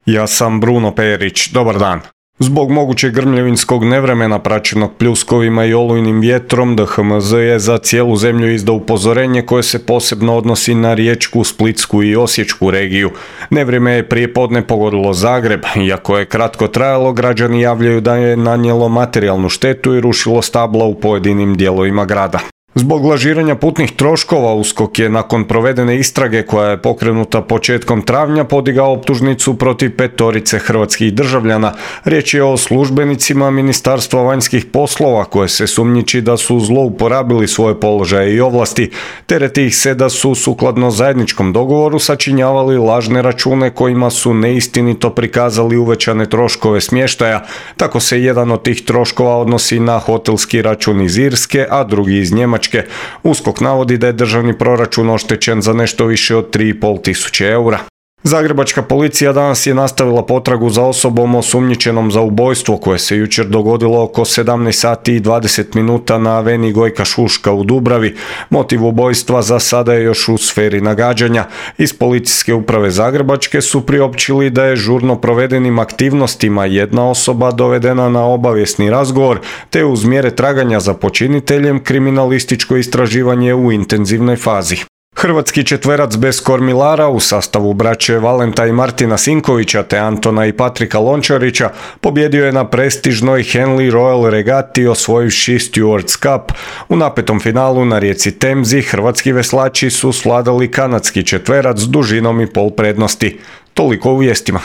Ja sam Bruno Perić, dobar dan. Zbog mogućeg grmljevinskog nevremena praćenog pljuskovima i olujnim vjetrom, DHMZ je za cijelu zemlju izdao upozorenje koje se posebno odnosi na Riječku, Splitsku i Osječku regiju. Nevrijeme je prijepodne pogodilo Zagreb. Iako je kratko trajalo, građani javljaju da je nanijelo materijalnu štetu i rušilo stabla u pojedinim dijelovima grada. Zbog lažiranja putnih troškova USKOK je nakon provedene istrage koja je pokrenuta početkom travnja podigao optužnicu protiv 5 hrvatskih državljana. Riječ je o službenicima Ministarstva vanjskih poslova koje se sumnjiči da su zlouporabili svoje položaje i ovlasti. Tereti ih se da su sukladno zajedničkom dogovoru sačinjavali lažne račune kojima su neistinito prikazali uvećane troškove smještaja. Tako se jedan od tih troškova odnosi na hotelski račun iz Irske, a drugi iz Njemačke. USKOK navodi da je državni proračun oštećen za nešto više od 3,5 tisuće eura. Zagrebačka policija danas je nastavila potragu za osobom osumnjičenom za ubojstvo koje se jučer dogodilo oko 17 sati i 20 minuta na aveni Gojka Šuška u Dubravi. Motiv ubojstva za sada je još u sferi nagađanja. Iz policijske uprave Zagrebačke su priopćili da je žurno provedenim aktivnostima jedna osoba dovedena na obavijesni razgovor, te uz mjere traganja za počiniteljem kriminalističko istraživanje u intenzivnoj fazi. Hrvatski četverac bez kormilara u sastavu braće Valenta i Martina Sinkovića te Antona i Patrika Lončarića pobjedio je na prestižnoj Henley Royal regati osvojivši Stewards Cup. U napetom finalu na rijeci Temzi hrvatski veslači su svladali kanadski četverac s dužinom i pol prednosti. Toliko u vijestima.